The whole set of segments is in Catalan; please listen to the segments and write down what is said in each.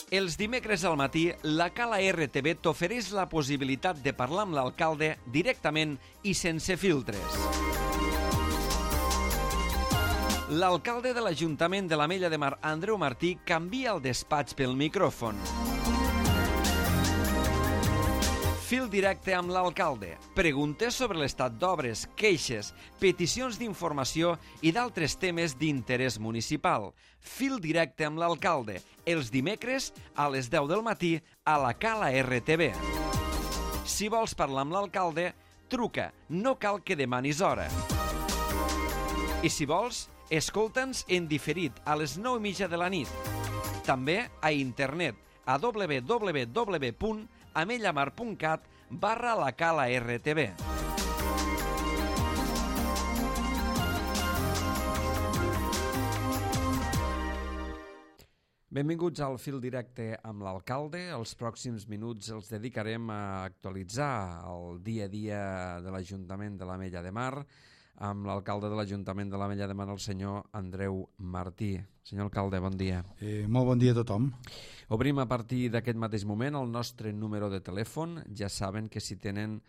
Els dimecres al matí, la Cala RTV t'ofereix la possibilitat de parlar amb l'alcalde directament i sense filtres. L'alcalde de l'Ajuntament de l'Ametlla de Mar, Andreu Martí, canvia el despatx pel micròfon. Fil directe amb l'alcalde. Preguntes sobre l'estat d'obres, queixes, peticions d'informació i d'altres temes d'interès municipal. Fil directe amb l'alcalde. Els dimecres a les 10 del matí a la Cala RTV. Si vols parlar amb l'alcalde, truca. No cal que demanis hora. I si vols, escolta'ns en diferit a les 9:30 de la nit. També a internet a www.amellamar.cat/la Cala RTV. Benvinguts al Fil Directe amb l'alcalde. Els pròxims minuts els dedicarem a actualitzar el dia a dia de l'Ajuntament de l'Ametlla de Mar amb l'alcalde de l'Ajuntament de l'Ametlla de Mar, el senyor Andreu Martí. Senyor alcalde, bon dia. Molt bon dia a tothom. Obrim a partir d'aquest mateix moment el nostre número de telèfon. Ja saben que si tenen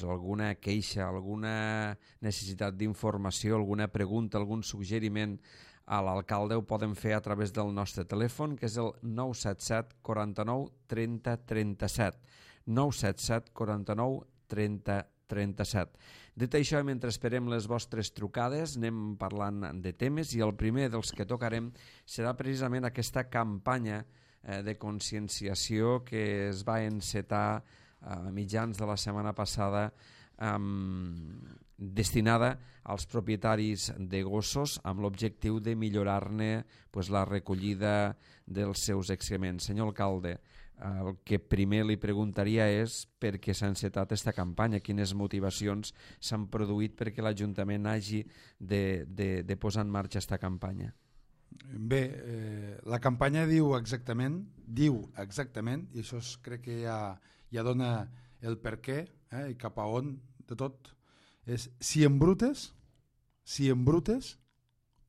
alguna queixa, alguna necessitat d'informació, alguna pregunta, algun suggeriment a l'alcalde, ho poden fer a través del nostre telèfon, que és el 977 49 30 37. 977 49 30 37. Dit això, mentre esperem les vostres trucades, anem parlant de temes i el primer dels que tocarem serà precisament aquesta campanya de conscienciació que es va encetar a mitjans de la setmana passada destinada als propietaris de gossos amb l'objectiu de millorar-ne la recollida dels seus excrements. Senyor alcalde, el que primer li preguntaria és per què s'ha encetat aquesta campanya, quines motivacions s'han produït perquè l'Ajuntament hagi de posar en marxa aquesta campanya. Bé, la campanya diu exactament, i això crec que ja dona el per què i cap a on de tot, és si embrutes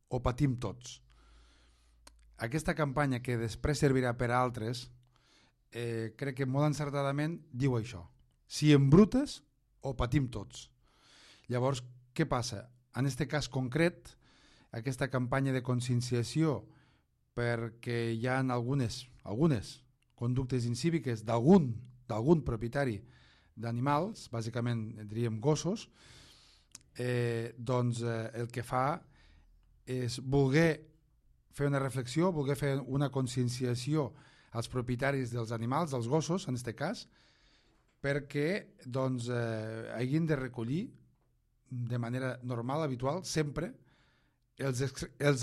o patim tots. Aquesta campanya, que després servirà per a altres, crec que molt encertadament diu això: si embrutes o patim tots. Llavors, què passa? En aquest cas concret, aquesta campanya de conscienciació, perquè hi ha algunes conductes incíviques d'algun propietari d'animals, bàsicament diríem gossos, doncs el que fa és voler fer una reflexió, voler fer una conscienciació als propietaris dels animals, dels gossos en aquest cas, perquè doncs hagin de recollir de manera normal, habitual, sempre els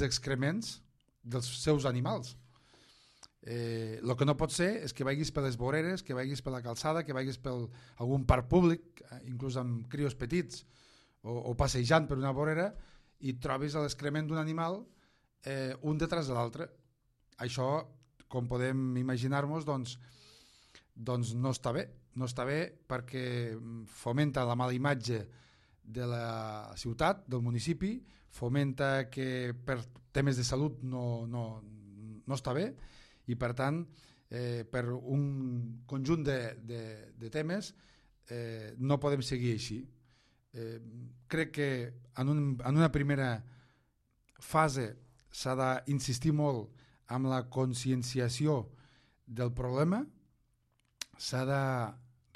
excrements dels seus animals. El que no pot ser és que vagis per les voreres, que vagis per la calçada, que vagis per algun parc públic, inclús amb crios petits, o passejant per una vorera, i trobis l'excrement d'un animal un detrás de l'altre. Això, com podem imaginar-nos, doncs no està bé. No està bé perquè fomenta la mala imatge de la ciutat, del municipi, fomenta que per temes de salut no està bé, i per tant per un conjunt de temes no podem seguir així. Crec que en una primera fase s'ha d'insistir molt amb la conscienciació del problema, s'ha de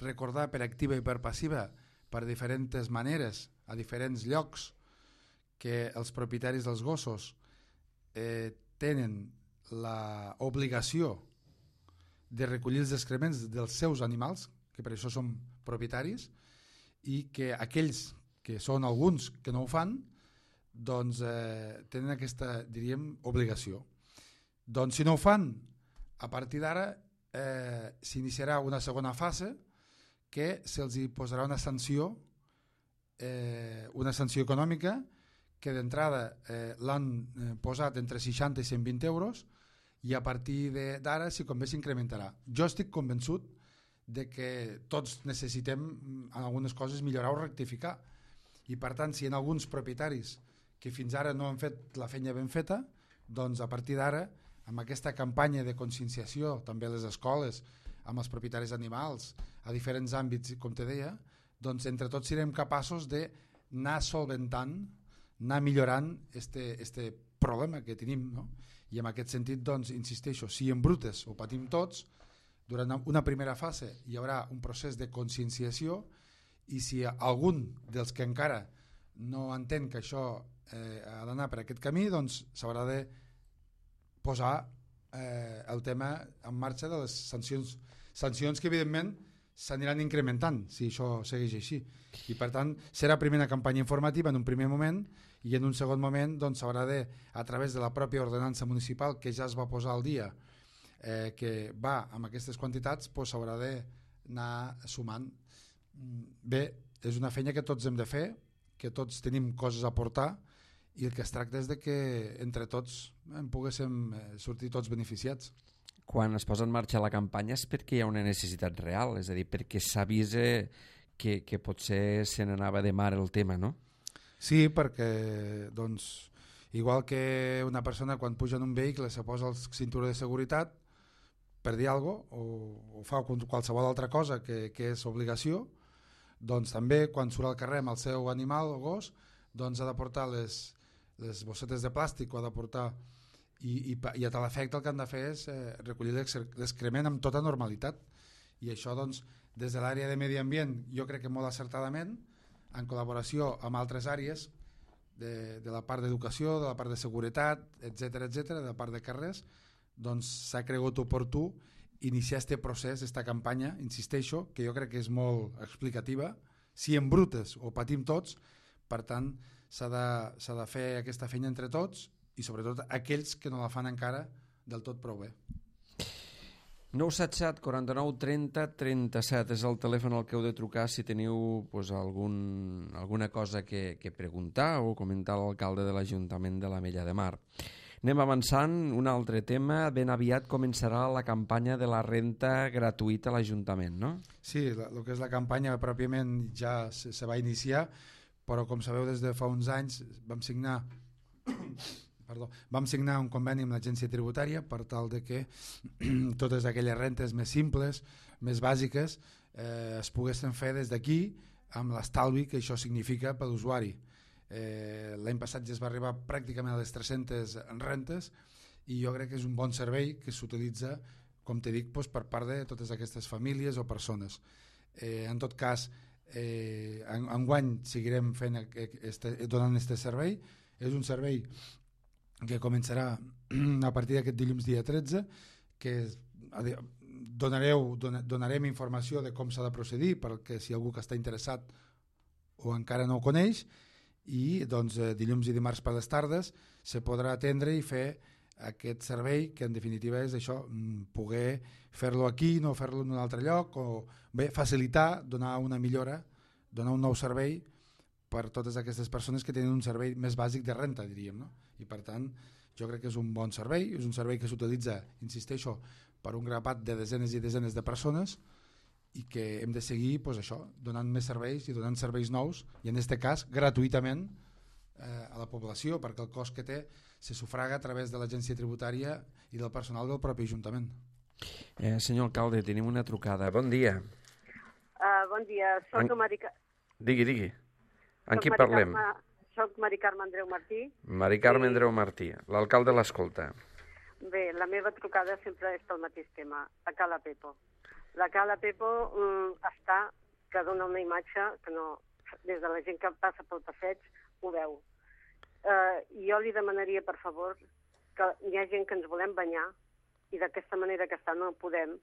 recordar per activa i per passiva, per diferents maneres, a diferents llocs, que els propietaris dels gossos tenen l'obligació de recollir els excrements dels seus animals, que per això són propietaris, i que aquells que són alguns que no ho fan, doncs tenen aquesta, diríem, obligació. Doncs si no ho fan, a partir d'ara s'iniciarà una segona fase que se'ls posarà una sanció econòmica, que d'entrada l'han posat entre 60 i 120 euros, i a partir d'ara, si convé, s'incrementarà. Jo estic convençut de que tots necessitem en algunes coses millorar o rectificar, i per tant, si hi ha alguns propietaris que fins ara no han fet la feina ben feta, doncs a partir d'ara amb aquesta campanya de conscienciació també a les escoles, amb els propietaris d'animals, a diferents àmbits, com te deia, doncs entre tots serem capaços d'anar solventant, anar millorant este problema que tenim, no? I en aquest sentit, doncs, insisteixo, si en brutes ho patim tots, durant una primera fase hi haurà un procés de conscienciació, i si algun dels que encara no entén que això ha d'anar per aquest camí, doncs s'haurà de posar el tema en marxa de les sancions que evidentment s'aniran incrementant si això segueix així, i per tant serà primer una campanya informativa en un primer moment, i en un segon moment doncs s'haurà de, a través de la pròpia ordenança municipal que ja es va posar al dia, que va amb aquestes quantitats, doncs s'haurà d'anar sumant. Bé, és una feina que tots hem de fer, que tots tenim coses a aportar, i el que es tracta és de que entre tots en poguéssim sortir tots beneficiats. Quan es posa en marxa la campanya és perquè hi ha una necessitat real, és a dir, perquè s'avisa que potser se n'anava de mar el tema, no? Sí, perquè doncs, igual que una persona quan puja en un vehicle se posa el cinturó de seguretat per dir alguna cosa, o fa qualsevol altra cosa que és obligació, doncs també quan surt al carrer amb el seu animal o gos, doncs ha de portar les bossetes de plàstic, o ha de portar, i a tal efecte el que han de fer és recollir l'excrement amb tota normalitat, i això doncs des de l'àrea de medi ambient jo crec que molt acertadament, en col·laboració amb altres àrees de la part d'educació, de la part de seguretat, etc, de la part de carrers, doncs s'ha cregut oportú iniciar este procés, esta campanya, insisteixo, que jo crec que és molt explicativa, si en brutes ho patim tots, per tant s'ha de fer aquesta feina entre tots, i sobretot aquells que no la fan encara del tot prou bé. 977 49 30 37 és el telèfon al que heu de trucar si teniu pues, alguna cosa que preguntar o comentar a l'alcalde de l'Ajuntament de l'Ametlla de Mar. Anem avançant, un altre tema, ben aviat començarà la campanya de la renta gratuïta a l'Ajuntament, no? Sí, el que és la campanya pròpiament ja se va iniciar, però com sabeu des de fa uns anys vam signar un conveni amb l'agència tributària per tal de que totes aquelles rentes més simples, més bàsiques, es poguessin fer des d'aquí amb l'estalvi que això significa per l'usuari. L'any passat ja es va arribar pràcticament a les 300 rentes, i jo crec que és un bon servei que s'utilitza, com t'he dit, per part de totes aquestes famílies o persones. En tot cas, enguany seguirem donant aquest servei. És un servei que començarà a partir d'aquest dilluns dia 13, que donarem informació de com s'ha de procedir, perquè si algú que està interessat o encara no ho coneix, i doncs dilluns i dimarts per les tardes se podrà atendre i fer aquest servei, que en definitiva és això, poder fer-lo aquí, no fer-lo en un altre lloc, o bé, facilitar, donar una millora, donar un nou servei per totes aquestes persones que tenen un servei més bàsic de renta, diríem, no? I per tant, jo crec que és un bon servei, és un servei que s'utilitza, insisteixo, per un grapat de desenes i desenes de persones, i que hem de seguir doncs això, donant més serveis i donant serveis nous, i en aquest cas gratuïtament a la població, perquè el cost que té se sufraga a través de l'agència tributària i del personal del propi Ajuntament. Senyor alcalde, tenim una trucada. Bon dia. Bon dia, soc Digui. Amb qui parlem? Soc Mari Carme Andreu Martí. Mari Carme Andreu Martí, l'alcalde l'escolta. Bé, la meva trucada sempre és pel mateix tema, la Cala Pepo. La Cala Pepo que dona una imatge que no, des de la gent que passa pel passeig ho veu. Jo li demanaria, per favor, que hi ha gent que ens volem banyar i d'aquesta manera que està no podem,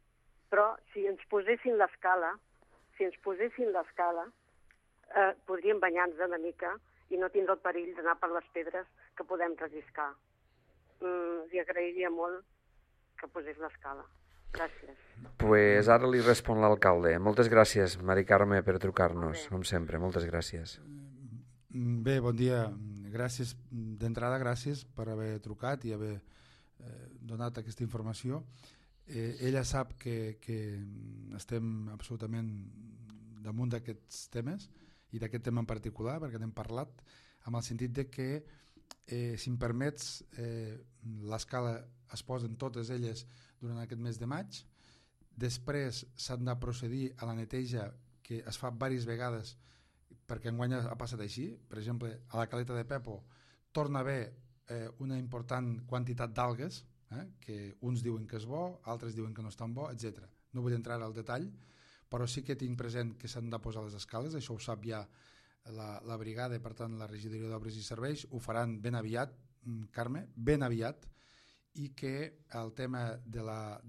però si ens posessin l'escala, podríem banyar-nos una mica i no tindre el perill d'anar per les pedres que podem relliscar. Li agrairia molt que posés l'escala. Gràcies. Pues ara li respon l'alcalde. Moltes gràcies, Mari Carme, per trucar-nos, com sempre. Moltes gràcies. Bé, bon dia. Gràcies d'entrada, gràcies per haver trucat i haver donat aquesta informació. Ella sap que estem absolutament damunt d'aquests temes i d'aquest tema en particular, perquè n'hem parlat, amb el sentit de que si em permets, l'escala es posen totes elles durant aquest mes de maig. Després s'han de procedir a la neteja, que es fa diverses vegades, perquè enguany ha passat així. Per exemple, a la caleta de Pepo torna a haver una important quantitat d'algues, que uns diuen que és bo, altres diuen que no és tan bo, etc. No vull entrar al detall, però sí que tinc present que s'han de posar les escales, això ho sap ja la brigada, per tant la regidoria d'obres i serveis, ho faran ben aviat, Carme, ben aviat, i que el tema de la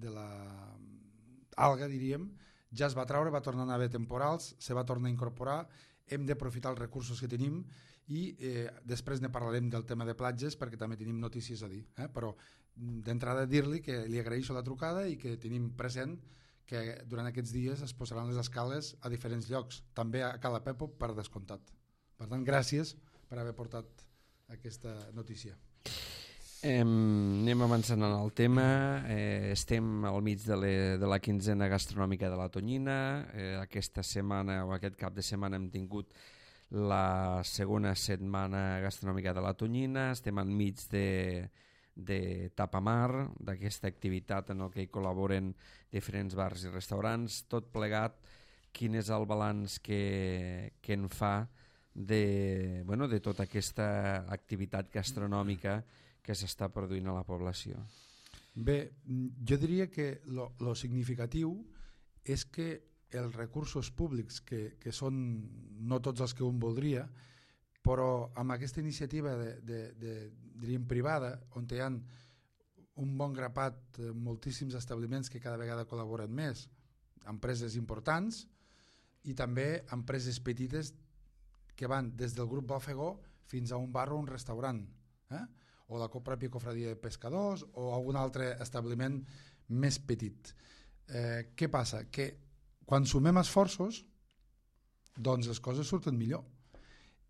alga, diríem, ja es va treure, va tornar a haver temporals, se va tornar a incorporar, hem d'aprofitar els recursos que tenim i després ne parlarem del tema de platges perquè també tenim notícies a dir, però d'entrada dir-li que li agraeixo la trucada i que tenim present que durant aquests dies es posaran les escales a diferents llocs, també a Cala Pepo per descomptat. Per tant, gràcies per haver portat aquesta notícia. Anem avançant en el tema. Estem al mig de la quinzena gastronòmica de la Tonyina. Aquesta setmana o aquest cap de setmana hem tingut la segona setmana gastronòmica de la Tonyina. Estem enmig de Tapamar, d'aquesta activitat en què hi col·laboren diferents bars i restaurants. Tot plegat, quin és el balanç que en fa de tota aquesta activitat gastronòmica que s'està produint a la població? Bé, jo diria que lo significatiu és que els recursos públics, que són no tots els que un voldria, però amb aquesta iniciativa diríem privada, on hi ha un bon grapat, moltíssims establiments que cada vegada col·laboren més, empreses importants i també empreses petites que van des del grup Bòfego fins a un bar o un restaurant, o la pròpia cofradia de pescadors o algun altre establiment més petit. Què passa? Que quan sumem esforços, doncs les coses surten millor.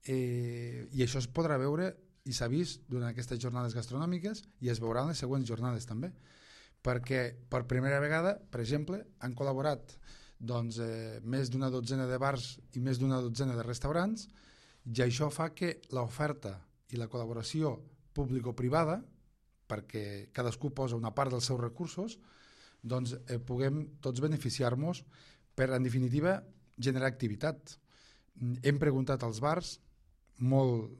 I això es podrà veure i s'ha vist durant aquestes jornades gastronòmiques i es veurà en les següents jornades també, perquè per primera vegada, per exemple, han col·laborat més d'una dotzena de bars i més d'una dotzena de restaurants, i això fa que l'oferta i la col·laboració público-privada, perquè cadascú posa una part dels seus recursos, doncs puguem tots beneficiar-nos per, en definitiva, generar activitat. Hem preguntat als bars molt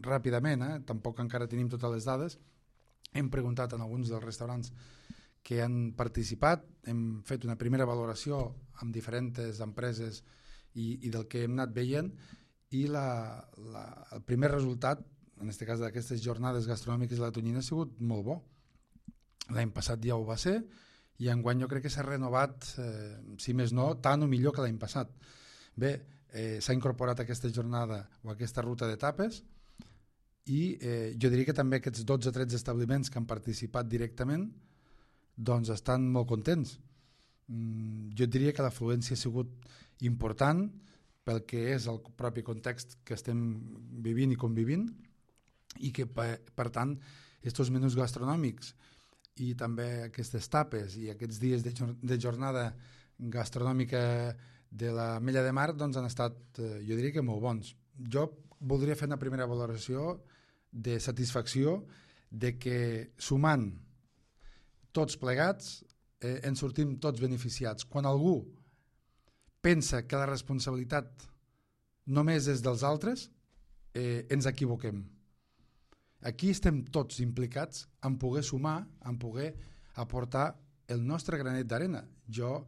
ràpidament, tampoc encara tenim totes les dades, hem preguntat en alguns dels restaurants que han participat, hem fet una primera valoració amb diferents empreses i del que hem anat veient, i el primer resultat, en aquest cas d'aquestes jornades gastronòmiques de la Tonyina, ha sigut molt bo. L'any passat ja ho va ser, i enguany jo crec que s'ha renovat, si més no, tant o millor que l'any passat. Bé, s'ha incorporat aquesta jornada o aquesta ruta d'etapes i jo diria que també aquests 12 o 13 establiments que han participat directament doncs estan molt contents. Jo diria que l'afluència ha sigut important pel que és el propi context que estem vivint i convivint, i que per tant aquests menús gastronòmics i també aquestes tapes i aquests dies de jornada gastronòmica de la Mella de Mar doncs han estat, jo diria que molt bons. Jo voldria fer una primera valoració de satisfacció de que sumant tots plegats en sortim tots beneficiats. Quan algú pensa que la responsabilitat només és dels altres, ens equivoquem. Aquí estem tots implicats en poder sumar, en poder aportar el nostre granet d'arena. Jo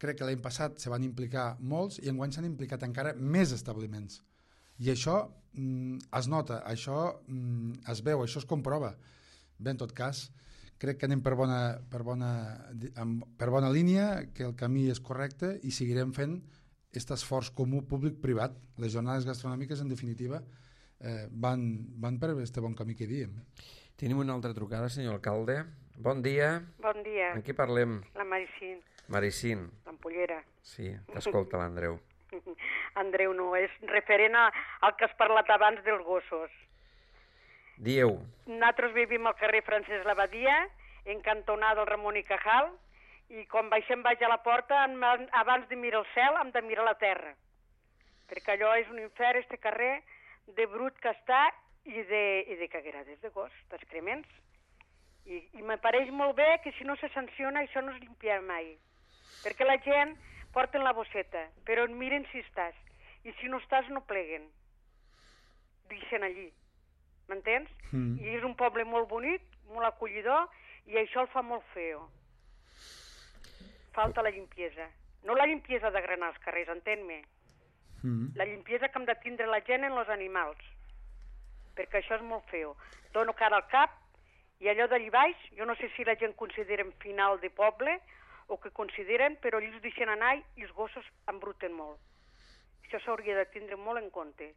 crec que l'any passat se van implicar molts i enguany s'han implicat encara més establiments. I això es nota, això es veu, això es comprova. Bé, en tot cas, crec que anem per bona línia, que el camí és correcte i seguirem fent aquest esforç comú públic-privat. Les jornades gastronòmiques, en definitiva, van per aquest bon camí que diem. Tenim una altra trucada, senyor alcalde. Bon dia. Bon dia. En qui parlem? La Maricín. Maricín. L'Ampollera. Sí, t'escolta l'Andreu. Andreu no, és referent al que has parlat abans dels gossos. Dieu. Nosaltres vivim al carrer Francesc Labadia, en cantonada del Ramon i Cajal, i quan baixem baix a la porta, abans de mirar el cel, hem de mirar la terra. Perquè allò és un infern, este carrer, de brut que està i de caguerades de gos, d'excrements. I me pareix molt bé que si no se sanciona això no es limpia mai. Perquè la gent porten la bosseta, però miren si estàs. I si no estàs no pleguen. Deixen allí. M'entens? I és un poble molt bonic, molt acollidor, i això el fa molt feo. Falta la limpiesa. No la limpiesa de granar els carrers, entén-me. La limpiesa que hem de tindre la gent en els animals. Perquè això és molt feo. Dono cara al cap, i allò d'allí baix, jo no sé si la gent considera final de poble o que consideren, però ells deixen anar i els gossos embruten molt. Això s'hauria de tindre molt en compte.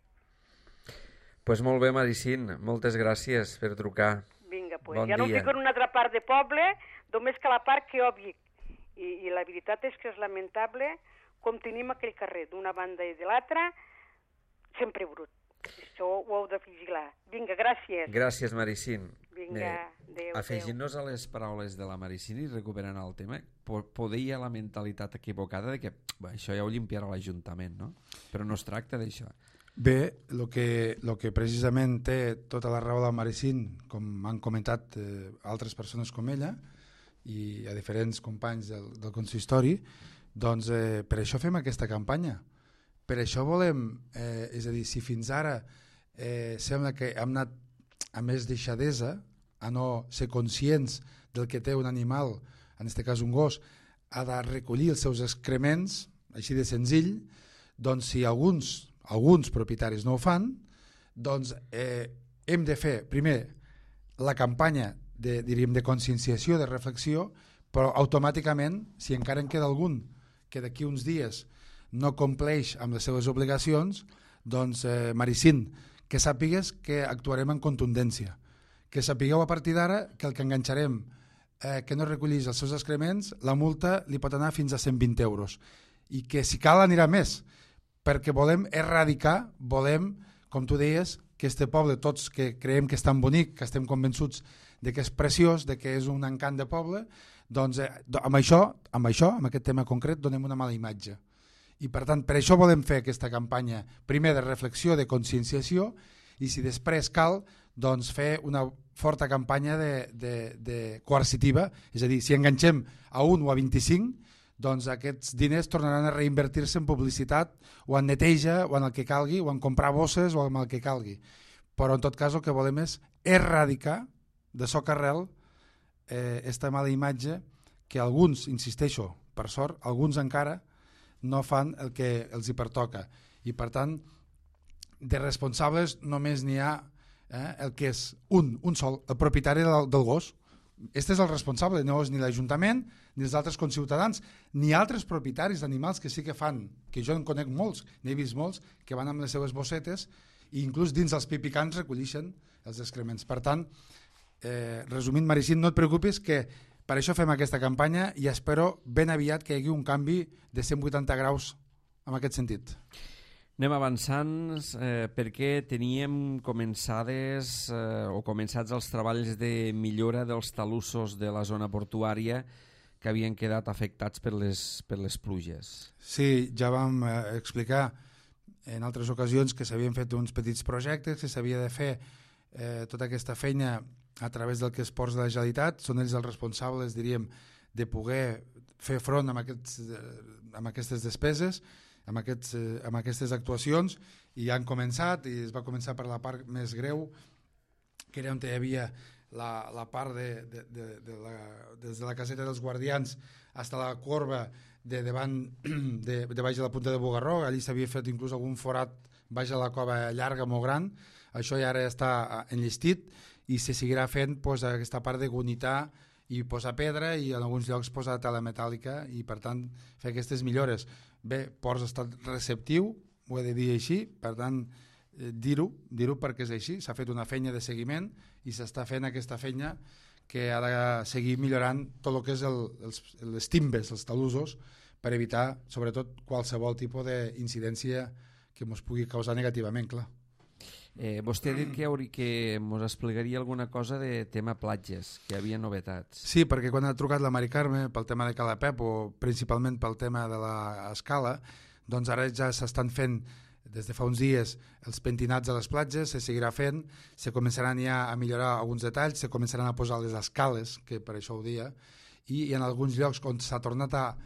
Pues molt bé, Maricín, moltes gràcies per trucar. Vinga, pues. Bon Ja no dia. dic en una altra part de poble, només que la part que jo vic. I la veritat és que és lamentable com tenim aquell carrer d'una banda i de l'altra, sempre brut. Això ho heu de vigilar. Vinga, gràcies. Gràcies, Maricín. Vinga, adéu. Afegint-nos a les paraules de la Maricín i recuperant el tema, poder hi ha la mentalitat equivocada de que això ja ho limpiarà l'Ajuntament, no? Però no es tracta d'això. Bé, el que precisament té tota la raó de la Maricín, com han comentat altres persones com ella i a diferents companys del consistori, doncs per això fem aquesta campanya. Per això volem, és a dir, si fins ara sembla que hem anat a més deixadesa, a no ser conscients del que té un animal, en aquest cas un gos, ha de recollir els seus excrements, així de senzill, doncs si alguns propietaris no ho fan, doncs hem de fer primer la campanya de conscienciació, de reflexió, però automàticament, si encara en queda algun que d'aquí uns dies no compleix amb les seves obligacions, doncs Maricín, que sàpigues que actuarem en contundència, que sapigueu a partir d'ara que el que enganxarem que no recollís els seus excrements, la multa li pot anar fins a 120 euros i que si cal anirà més, perquè volem erradicar, volem, com tu deies, que este poble, tots que creiem que és tan bonic, que estem convençuts de que és preciós, de que és un encant de poble, doncs amb aquest tema concret, donem una mala imatge. I per tant, per això volem fer aquesta campanya, primer de reflexió, de conscienciació, i si després cal, doncs fer una forta campanya de coercitiva, és a dir, si enganxem a 1 o a 25, doncs aquests diners tornaran a reinvertir-se en publicitat o en neteja o en el que calgui, o en comprar bosses o en el que calgui. Però en tot cas el que volem és erradicar de soc arrel esta mala imatge que alguns, insisteixo, per sort, alguns encara no fan el que els hi pertoca. I per tant, de responsables només n'hi ha el que és un sol, el propietari del gos. Este és el responsable, no és ni l'Ajuntament ni els altres conciutadans, ni altres propietaris d'animals que sí que fan, que jo en conec molts, n'he vist molts, que van amb les seves bossetes i inclús dins els pipicants recollixen els excrements. Per tant, resumint, Maricín, no et preocupis, que per això fem aquesta campanya i espero ben aviat que hi hagi un canvi de 180 graus en aquest sentit. Anem avançant perquè teníem començats els treballs de millora dels talussos de la zona portuària que havien quedat afectats per les pluges. Sí, ja vam explicar en altres ocasions que s'havien fet uns petits projectes, que s'havia de fer tota aquesta feina a través del que es ports de la Generalitat. Són ells els responsables, diríem, de poder fer front amb aquestes despeses, amb aquestes actuacions, i han començat, i es va començar per la part més greu, que era on hi havia la part des de la caseta dels guardians fins a la corba de baix de la punta de Bugarró. Allí s'havia fet inclús algun forat baix de la cova llarga, molt gran. Això ja ara està enllestit i se seguirà fent aquesta part de gunitar i posar pedra i en alguns llocs posar tela metàl·lica i per tant fer aquestes millores. Bé, Ports ha estat receptiu, ho he de dir així, per tant dir-ho perquè és així, s'ha fet una feina de seguiment i s'està fent aquesta feina que ha de seguir millorant tot el que és les timbes, els talussos, per evitar sobretot qualsevol tipus d'incidència que ens pugui causar negativament, clar. Vostè ha dit que ens explicaria alguna cosa de tema platges, que hi havia novetats. Sí, perquè quan ha trucat la Mari Carme pel tema de Cala Pep o principalment pel tema de l'escala, doncs ara ja s'estan fent des de fa uns dies els pentinats a les platges, se seguirà fent, se començaran ja a millorar alguns detalls, se començaran a posar les escales, que per això ho dia, i en alguns llocs on s'ha tornat a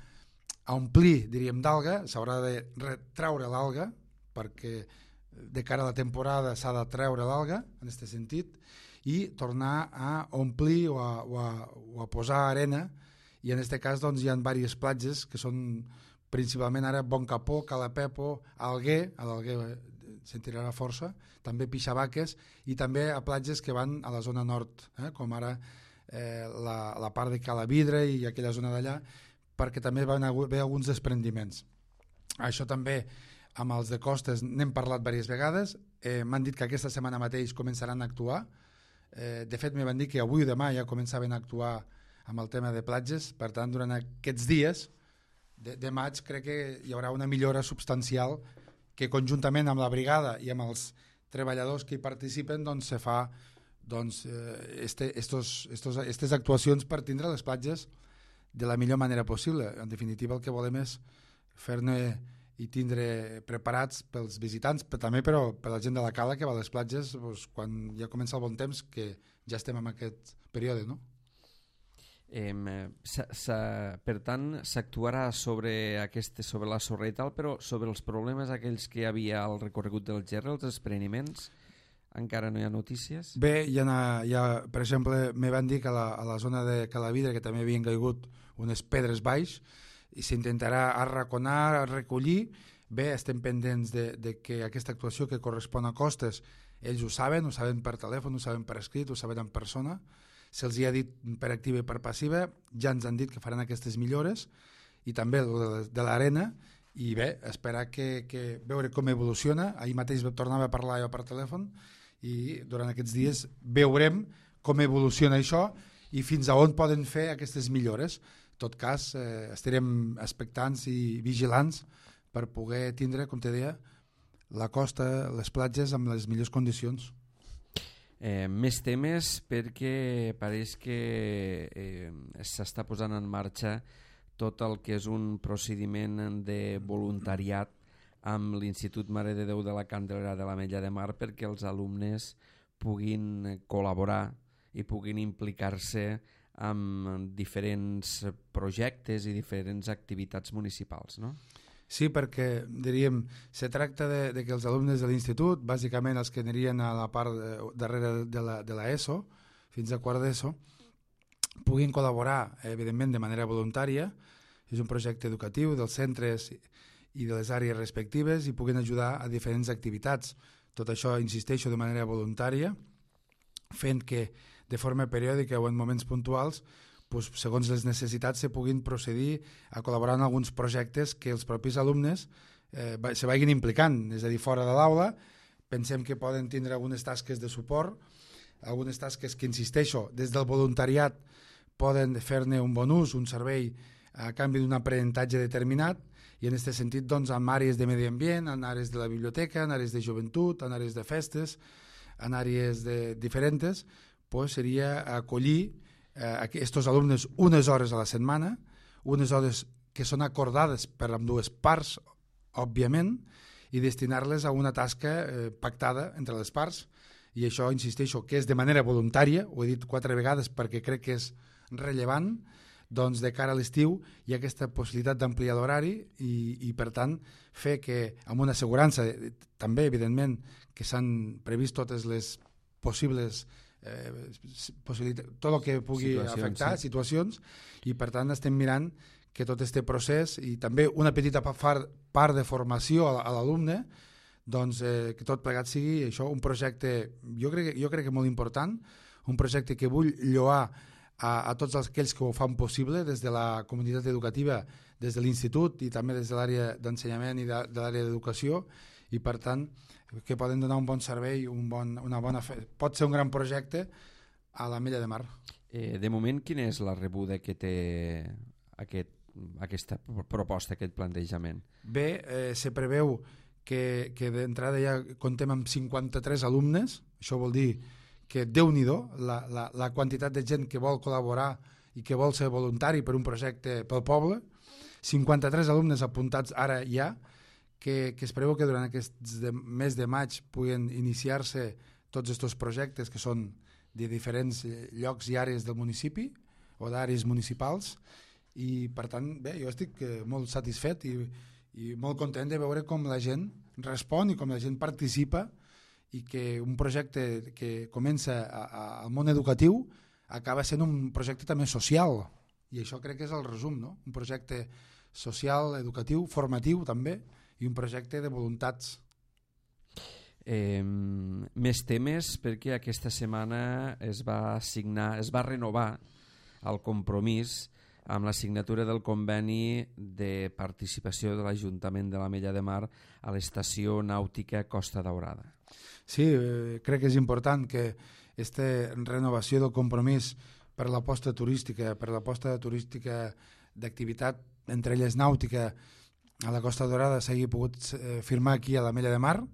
omplir, diríem, d'alga, s'haurà de retreure l'alga, perquè de cara a la temporada s'ha de treure l'alga, en aquest sentit, i tornar a omplir o a posar arena, i en aquest cas doncs, hi ha diverses platges que són principalment ara Bon Capó, Cala Pepo, Alguer, a l'Alguer se'n tirarà força, també Pixabaques, i també a platges que van a la zona nord, com ara la part de Cala Vidre i aquella zona d'allà, perquè també van haver alguns desprendiments. Això també amb els de costes n'hem parlat diverses vegades, m'han dit que aquesta setmana mateix començaran a actuar, de fet me van dir que avui o demà ja començaven a actuar amb el tema de platges, per tant durant aquests dies de maig crec que hi haurà una millora substancial que conjuntament amb la brigada i amb els treballadors que hi participen doncs se fa aquestes actuacions per tindre les platges de la millor manera possible. En definitiva el que volem és fer-ne i tindre preparats pels visitants, però també per la gent de la cala que va a les platges doncs, quan ja comença el bon temps, que ja estem en aquest període, no? Per tant, s'actuarà sobre la sorra i tal, però sobre els problemes aquells que hi havia al recorregut del Gerri, els despreniments, encara no hi ha notícies? Bé, per exemple, me van dir que a la zona de Calavidra, que també havien caigut unes pedres baix, i s'intentarà arraconar, recollir. Bé, estem pendents de que aquesta actuació que correspon a costes, ells ho saben per telèfon, ho saben per escrit, ho saben en persona, se'ls ha dit per activa i per passiva, ja ens han dit que faran aquestes millores, i també de l'arena, i bé, esperar que veure com evoluciona. Ahir mateix tornava a parlar jo per telèfon, i durant aquests dies veurem com evoluciona això i fins a on poden fer aquestes millores. En tot cas, estarem expectants i vigilants per poder tindre, com te deia, la costa, les platges amb les millors condicions. Més temes, perquè pareix que s'està posant en marxa tot el que és un procediment de voluntariat amb l'Institut Mare de Déu de la Candelera de l'Ametlla de Mar perquè els alumnes puguin col·laborar i puguin implicar-se amb diferents projectes i diferents activitats municipals, no? Sí, perquè, diríem, se tracta de que els alumnes de l'institut, bàsicament els que anirien a la part darrere de l'ESO, fins a quart d'ESO, puguin col·laborar, evidentment, de manera voluntària. És un projecte educatiu dels centres i de les àrees respectives i puguin ajudar a diferents activitats. Tot això, insisteixo, de manera voluntària, fent que de forma periòdica o en moments puntuals, doncs, segons les necessitats, se puguin procedir a col·laborar en alguns projectes que els propis alumnes se vagin implicant, és a dir, fora de l'aula. Pensem que poden tindre algunes tasques de suport, algunes tasques que, insisteixo, des del voluntariat poden fer-ne un bon ús, un servei a canvi d'un aprenentatge determinat, i en aquest sentit, doncs, en àrees de medi ambient, en àrees de la biblioteca, en àrees de joventut, en àrees de festes, en àrees diferents, doncs seria acollir aquests alumnes unes hores a la setmana, unes hores que són acordades per ambdues parts, òbviament, i destinar-les a una tasca pactada entre les parts, i això, insisteixo, que és de manera voluntària, ho he dit 4 vegades perquè crec que és rellevant, doncs de cara a l'estiu hi ha aquesta possibilitat d'ampliar l'horari i per tant fer que amb una assegurança, també evidentment que s'han previst totes les possibles tot el que pugui afectar situacions, i per tant estem mirant que tot este procés i també una petita part de formació a l'alumne, doncs que tot plegat sigui això, un projecte jo crec que molt important, un projecte que vull lloar a tots aquells que ho fan possible des de la comunitat educativa, des de l'institut i també des de l'àrea d'ensenyament i de l'àrea d'educació, i per tant que poden donar un bon servei, pot ser un gran projecte a l'Ametlla de Mar. De moment, quina és la rebuda que té aquesta proposta, aquest plantejament? Bé, se preveu que d'entrada ja contem amb 53 alumnes, això vol dir que Déu-n'hi-do la quantitat de gent que vol col·laborar i que vol ser voluntari per un projecte pel poble, 53 alumnes apuntats ara ja, que espereu que durant aquest mes de maig puguen iniciar-se tots aquests projectes que són de diferents llocs i àrees del municipi o d'àrees municipals, i per tant, bé, jo estic molt satisfet i molt content de veure com la gent respon i com la gent participa, i que un projecte que comença al món educatiu acaba sent un projecte també social, i això crec que és el resum, no? Un projecte social, educatiu, formatiu també, i un projecte de voluntats. Més temes, perquè aquesta setmana es va renovar el compromís amb la signatura del conveni de participació de l'Ajuntament de l'Ametlla de Mar a l'estació nàutica Costa Daurada. Sí, crec que és important que aquesta renovació del compromís per l'aposta turística, d'activitat, entre elles nàutica, a la Costa Daurada s'hagi pogut firmar aquí a l'Ametlla de Mar,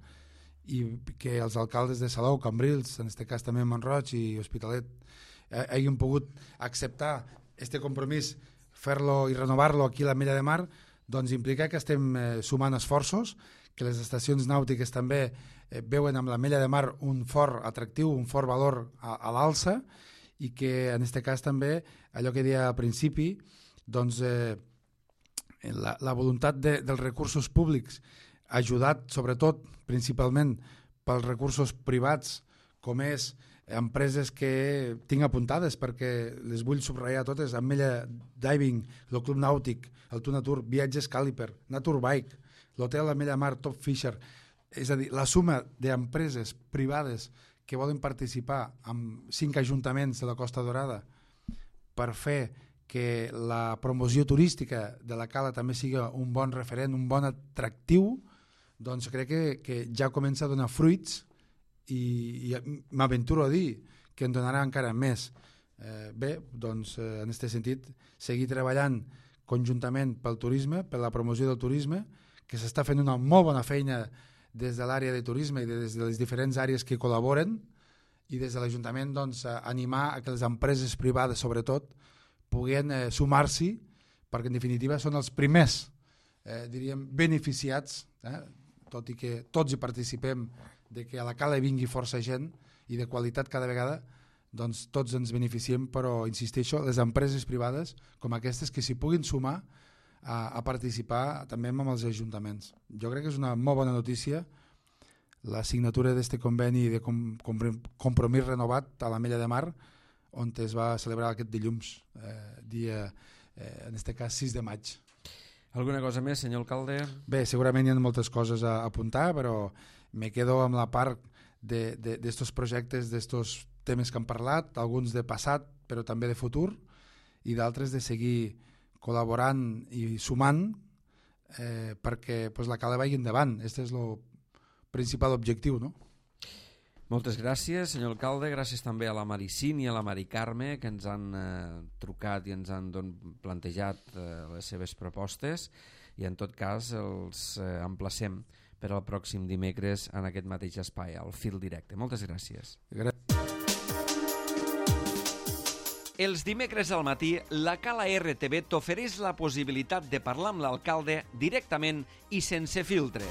i que els alcaldes de Salou, Cambrils, en aquest cas també Mont-roig i Hospitalet, hagin pogut acceptar aquest compromís, fer-lo i renovar-lo aquí a l'Ametlla de Mar, doncs implica que estem sumant esforços, que les estacions nàutiques també veuen amb l'Ametlla de Mar un fort atractiu, un fort valor a l'alça, i que en aquest cas també, allò que deia al principi, doncs la voluntat dels recursos públics, ajudat sobretot principalment pels recursos privats, com és empreses que tinc apuntades perquè les vull subratllar totes: Ametlla Diving, el Club Nàutic, el Tunatur, Viatges Càliper, Naturbike, l'Hotel Ametlla Mar, Top Fisher. És a dir, la suma d'empreses privades que volen participar amb 5 ajuntaments de la Costa Daurada per fer que la promoció turística de la cala també sigui un bon referent, un bon atractiu, doncs crec que ja comença a donar fruits, i m'aventuro a dir que en donarà encara més. Bé, doncs en aquest sentit, seguir treballant conjuntament pel turisme, per la promoció del turisme, que s'està fent una molt bona feina des de l'àrea de turisme i des de les diferents àrees que col·laboren, i des de l'Ajuntament doncs, animar a que les empreses privades sobretot puguen sumar-s'hi, perquè en definitiva són els primers diríem beneficiats, tot i que tots hi participem, de que a la cala vingui força gent i de qualitat cada vegada, doncs tots ens beneficiem, però insisteixo, les empreses privades com aquestes que s'hi puguin sumar a participar també amb els ajuntaments. Jo crec que és una molt bona notícia la signatura d'aquest conveni de compromís renovat a l'Ametlla de Mar, on es va celebrar aquest dilluns, dia, en aquest cas 6 de maig. Alguna cosa més, senyor alcalde? Bé, segurament hi ha moltes coses a apuntar, però me quedo amb la part d'estos projectes, d'estos temes que han parlat, alguns de passat, però també de futur, i d'altres de seguir col·laborant i sumant perquè la cala vagi endavant. Aquest és el principal objectiu, no? Moltes gràcies, senyor alcalde. Gràcies també a la Maricín i a la Mari Carme, que ens han trucat i ens han plantejat les seves propostes, i en tot cas els emplacem per al pròxim dimecres en aquest mateix espai, al Fil Directe. Moltes gràcies. Els dimecres al matí, la Cala RTV t'ofereix la possibilitat de parlar amb l'alcalde directament i sense filtres.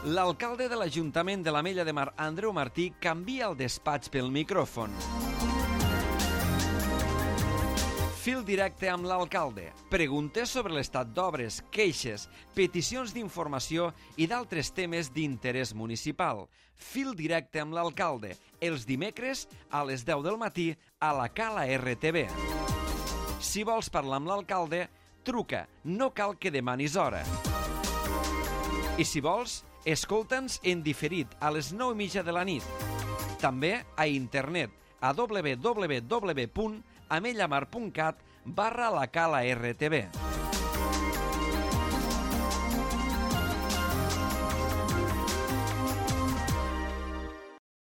L'alcalde de l'Ajuntament de l'Ametlla de Mar, Andreu Martí, canvia el despatx pel micròfon. Fil directe amb l'alcalde. Preguntes sobre l'estat d'obres, queixes, peticions d'informació i d'altres temes d'interès municipal. Fil directe amb l'alcalde. Els dimecres a les 10 del matí a la Cala RTV. Si vols parlar amb l'alcalde, truca. No cal que demanis hora. I si vols, escolta'ns en diferit a les 9:30 de la nit. També a internet a www.amellamar.cat/la Cala RTV.